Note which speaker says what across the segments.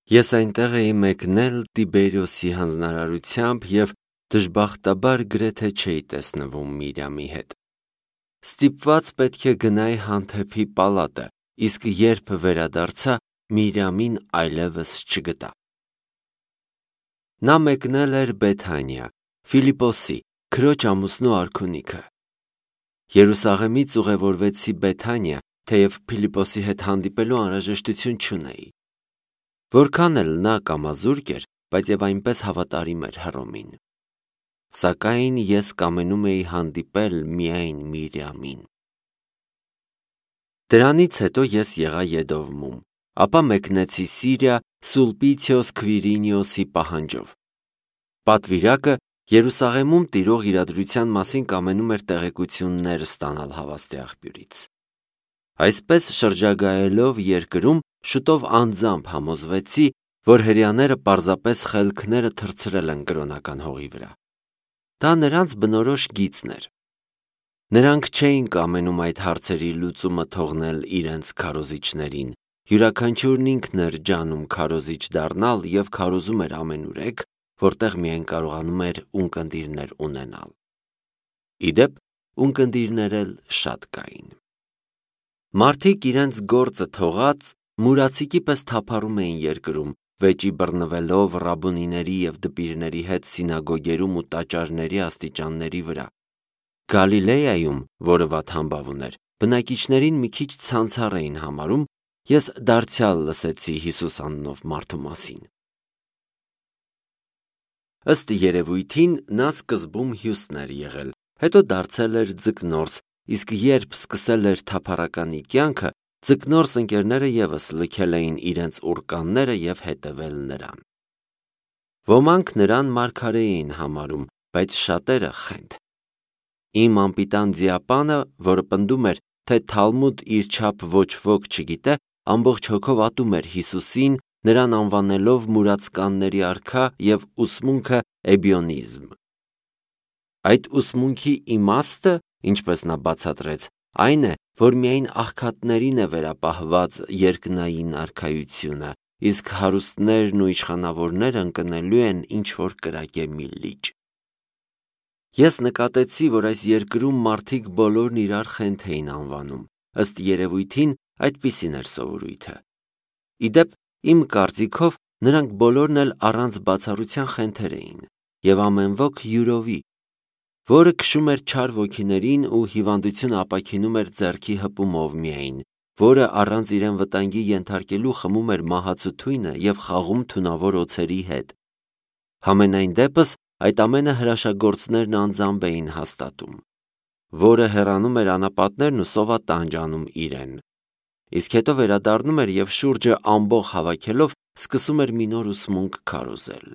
Speaker 1: Ես այնտեղ էի մեկնել Տիբերիոսի հանձնարարությամբ և դժբախտաբար գրեթե չէի տեսնվում Միրյամի հետ։ Ստիպված պետք է գնայի հանդեպի պալատը, իսկ երբ վերադարձա, Միրյամին այլևս չգտա։ Նա մեկնել էր Բեթանիա, Ֆիլիպոսի, քրոջ ամուսնու արքունիքը։ Երուսաղեմից ուղևորվեցի Բեթանիա, թեև Ֆիլիպոսի հետ հանդիպելու անհրաժեշտություն չունեի։ Որքան էլ նա կամազուրկ էր, բայց և այնպես հավատարիմ էր Հռոմին։ Սակայն ես կամենում էի հանդիպել միայն Միրյամին։ Դրանից հետո ես եղա Եդովմում, ապա մեկնեցի Սիրիա Սուլպիցիոս Քվիրինիոսի պահանջով։ Պատվիրակը Երուսաղեմում տիրող իրադրության մասին կամենում էր տեղեկություններ ստանալ հավաստի աղբյուրից։ Այսպես շրջագայելով երկրում, շուտով անձամբ համոզվեցի, որ հրեաները պարզապես խելքները թռցրել են կրոնական հողի վրա։ Դա նրանց բնորոշ գիծն էր։ Նրանք չէին կամենում այդ հարցերի լուծումը թողնել իրենց քարոզիչներին, յուրաքանչյուրն ինքն էր ջանում քարոզիչ դառնալ և քարոզում էր ամենուրեք, որտեղ միայն կարողանում էր ունկնդիրներ ունենալ։ Ի դեպ, ունկնդիրներ էլ շատ կային։ Մարդիկ իրենց գործը թողած մուրացիկի պես թափառում էին երկրում, վեճի բռնվելով ռաբունիների և դպիրների հետ սինագոգերում ու տաճարների աստիճանների վրա։ Գալիլեայում, որը վատ համբավ ուներ, բնակիչներին մի քիչ ցանցառ էին համարում, ես դարձյալ լսեցի Հիսուս անունով մարդու մասին։ Ըստ երևույթին նա սկզբում Հյուստն էր եղել, հետո դարձել էր ձկնորս, իսկ երբ սկսել էր թափառականի կյանքը, ձկնորս ընկերները ևս լքել էին իրենց ուռկանները և հետևել նրան։ Ոմանք նրան մարգարե էին համարում, բայց շատերը խենթ։ Իմ անպիտան ձիապանը, որը պնդում էր, թե Թալմուդ իր չափ ոչ ոք չգիտե, ամբողջ հոգով ատում էր Հիսուսին, նրան անվանելով մուրացկանների արքա և ուսմունքը էբիոնիզմ։ Այդ ուսմունքի իմաստը, ինչպես նա բացատրեց, այն է, որ միայն աղքատներին է վերապահված երկնային արքայությունը, իսկ հարուստներն ու իշխանավորները ընկնելու են ինչ-որ կրակե մի լիճ։ Ես նկատեցի, որ այս երկրում մարդիկ բոլորն իրար խենթ էին անվանում, ըստ երևույթին այդպիսին էր սովորույթը։ Ի դեպ, իմ կարծիքով, նրանք բոլորն էլ առանց բացառության խենթեր էին, և ամեն ոք յուրովի, որը քշում էր չար ոգիներին ու հիվանդությունը ապաքինում էր ձեռքի հպումով միայն, որը առանց իրեն վտանգի ենթարկելու խմում էր մահացու թույնը և խաղում թունավոր օձերի հետ։ Համենայն դեպս, այդ ամենը հրաշագործներն անձամբ էին հաստատում, որը հեռանում էր անապատներն ու սովատանջ անում իրեն, իսկ հետո վերադառնում էր և շուրջը ամբոխ հավաքելով սկսում էր մի նոր ուսմունք քարոզել։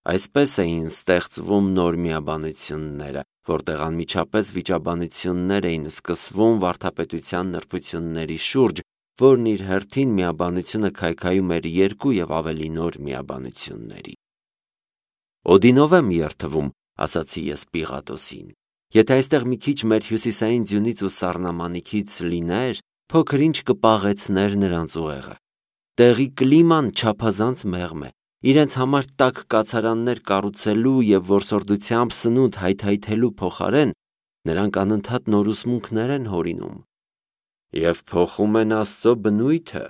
Speaker 1: Այսպես էին ստեղծվում նոր միաբանությունները, որտեղ անմիջապես վիճաբանություններ էին սկսվում վարդապետության նրբությունների շուրջ, որն իր հերթին միաբանությունը քայքայում էր երկու և ավելի նոր միաբանությունների։ Օդինով եմ երթվում, ասացի ես Պիղատոսին։ Եթե այստեղ մի քիչ մեր հյուսիսային ձյունից ու սառնամանիքից լիներ, փոքր-ինչ կպաղեցներ նրանց ուղեղը։ Տեղի կլիման չափազանց մեղմ է։ Իրենց համար տաք կացարաններ կառուցելու և որսորդությամբ սնունդ հայթայթելու փոխարեն նրանք անընդհատ նոր ուսմունքներ են հորինում։ Եվ փոխում են Աստծո բնույթը,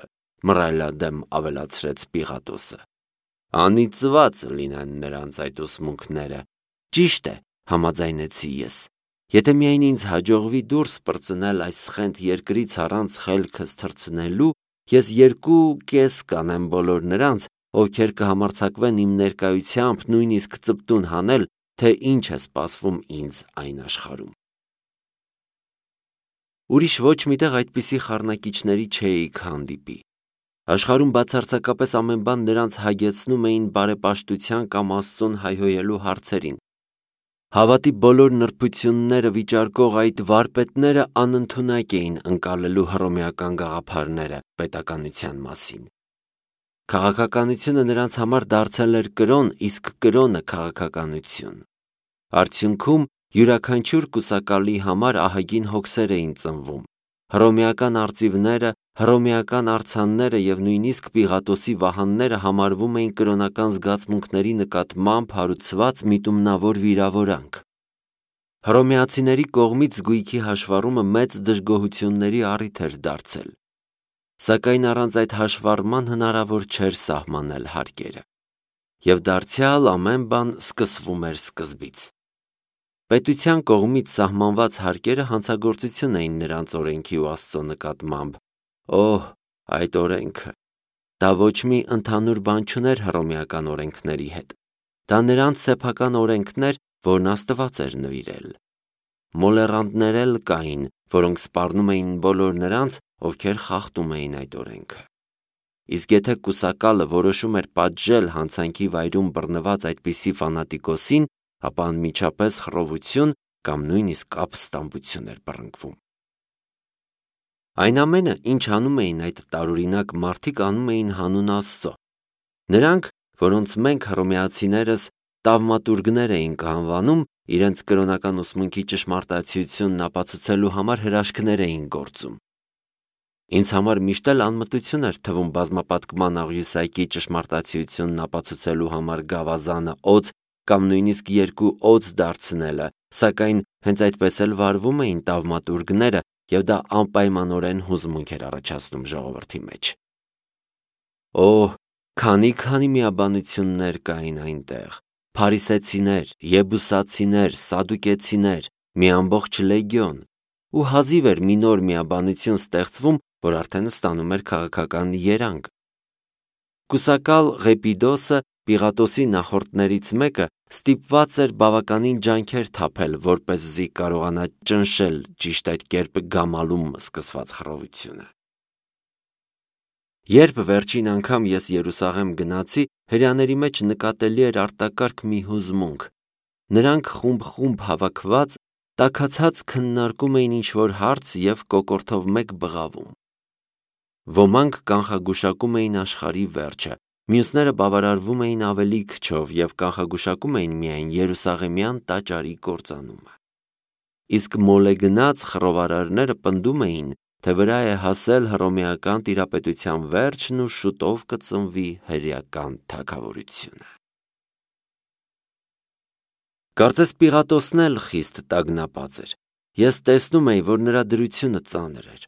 Speaker 1: մռայլադեմ ավելացրեց Պիղատոսը։ Անիծված լինեն նրանց այդ ուսմունքները։ Ճիշտ է, համաձայնեցի ես։ Եթե միայն ինձ հաջողվի դուրս պրծնել այս սխենթ երկրից առանց խելքս թռցնելու, ես 2.5 կանեմ բոլոր նրանց, ովքեր կհամարձակվեն իմ ներկայությամբ նույնիսկ ծպտուն հանել, թե ինչ է սպասվում ինձ այն աշխարհում։ Ուրիշ ոչ միտեղ այդպիսի խառնակիչների չէիք հանդիպի։ Աշխարհում բացարձակապես ամեն բան նրանց հագեցնում էին բարեպաշտության կամ Աստծուն հայհոյելու հարցերին։ Հավատի բոլոր նրբությունները վիճարկող այդ վարպետները անընդունակ էին ընկալելու հռոմեական գաղափարները պետականության մասին։ Քաղաքականությունը նրանց համար դարձել էր կրոն, իսկ կրոնը քաղաքականություն։ Արդյունքում յուրաքանչյուր կուսակալի համար ահագին հոգսեր էին ծնվում։ Հռոմեական արծիվները, հռոմեական արձանները և նույնիսկ Պիղատոսի վահանները համարվում էին կրոնական զգացմունքների նկատմամբ հարուցված միտումնավոր վիրավորանք։ Հռոմեացիների կողմից զգույքի հաշվառումը մեծ դժգոհությունների առիթ էր դարձել, սակայն առանց այդ հաշվառման հնարավոր չէր սահմանել հարկերը, և դարձյալ ամեն բան սկսվում էր սկզբից։ Պետության կողմից սահմանված հարկերը հանցագործություն էին նրանց օրենքի ու Աստծո նկատմամբ։ Օհ, այդ օրենքը, դա ոչ մի ընդհանուր բան չուներ հռոմեական օրենքների հետ։ Դա նրանց սեփական օրենքն էր, որն Աստված էր նվիրել։ Մոլեռանդներ էլ կային, որոնք սպառնում էին բոլոր նրանց, ովքեր խախտում էին այդ օրենքը։ Իսկ եթե կուսակալը որոշում էր պատժել հանցանքի վայրում բռնված այդպիսի ֆանատիկոսին, ապա անմիջապես խռովություն կամ նույնիսկ ապստամբություն էր բռնկվում։ Այն ամենը, ինչ անում էին այդ տարօրինակ մարդիկ, անում էին հանուն Աստծո։ Նրանք, որոնց մենք հռոմեացիներս տավմատուրգներ էինք անվանում, իրենց կրոնական ուսմունքի ճշմարտացիությունն ապացուցելու համար հրաշքներ էին գործում։ Ինձ համար միշտ էլ անմտություն էր թվում բազմապատկման աղյուսակի ճշմարտացիությունն ապացուցելու համար գավազանը օձ կամ նույնիսկ 2 օձ դարձնելը, սակայն հենց այդպես էլ վարվում էին տավմատուրգները, և դա անպայմանորեն հուզմունք էր առաջացնում ժողովրդի մեջ։ Օհ, քանի միաբանություններ կային այնտեղ. փարիսեցիներ, եբուսացիներ, սադուկեցիներ, մի ամբողջ լեգիոն, ու հազիվ էր մի նոր միաբանություն ստեղծվում, որ արդեն ստանում էր քաղաքական երանգ։ Կուսակալ Ղեպիդոսը, Պիղատոսի նախորդներից մեկը, ստիպված էր բավականին ջանքեր թափել, որպեսզի կարողանա ճնշել ճիշտ այդ կերպ գամալում սկսված խռովությունը։ Երբ վերջին անգամ ես Երուսաղեմ գնացի, հրեաների մեջ նկատելի էր արտակարգ մի հուզմունք։ Նրանք խումբ հավաքված, տաքացած քննարկում էին ինչ-որ հարց և կոկորդով մեկ բղավում։ Ոմանք կանխագուշակում էին աշխարհի վերջը, մյուսները բավարարվում էին ավելի քչով և կանխագուշակում էին միայն Երուսաղեմյան տաճարի կործանումը։ Իսկ մոլեգնած խռովարարները պնդում էին, թե վրա է հասել հռոմեական տիրապետության վերջն ու շուտով կծնվի հրեական թագավորությունը։ Կարծես Պիղատոսն էլ խիստ տագնապած էր։ Ես տեսնում էի, որ նրա դրությունը ծանր էր,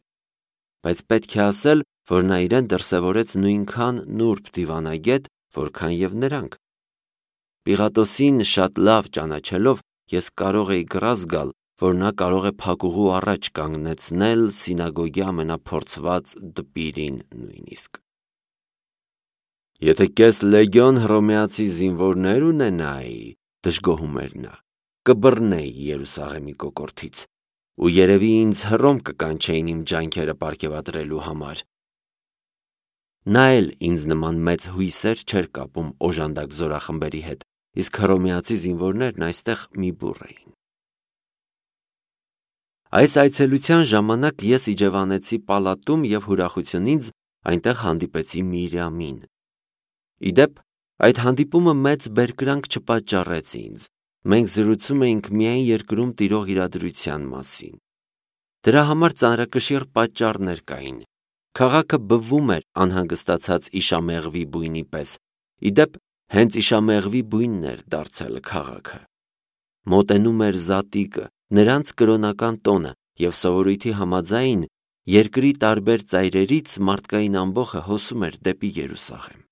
Speaker 1: բայց պետք է ասել, որ նա իրեն դրսևորեց նույնքան նուրբ դիվանագետ, որքան և նրանք։ Պիղատոսին շատ լավ ճանաչելով, ես կարող էի գրազ գալ, որ նա կարող է փակուղու առաջ կանգնեցնել սինագոգի ամենափորձված դպիրին նույնիսկ։ Եթե կես լեգիոն հռոմեացի զինվորներ ունենայի, դժգոհում էր նա, կբռնեի Երուսաղեմի կոկորդից, ու երևի ինձ Հռոմ կկանչեին իմ ջանքերը պարգևատրելու համար։ Նա էլ ինձ նման մեծ հույսեր չէր կապում օժանդակ զորախմբերի հետ, իսկ հռոմեացի զինվորներն այստեղ մի բուռ էին։ Այս այցելության ժամանակ ես իջևանեցի պալատում և ուրախությունից այնտեղ հանդիպեցի Միրիամին։ Ի դեպ, այդ հանդիպումը մեծ բերկրանք չպատճառեց ինձ։ Մենք զրուցում էինք միայն երկրում տիրող իրադրության մասին։ Դրա համար ծանրակշիռ պատճառներ կային։ Քաղաքը բվում էր անհանգստացած իշամեղվի բույնի պես։ Ի դեպ, հենց իշամեղվի բույնն էր դարձել քաղաքը։ Մոտենում էր զատիկը, նրանց կրոնական տոնը, և սովորույթի համաձայն, երկրի տարբեր ծայրերից մարդկային ամբոխը հոսում էր դեպի Երուսաղեմ։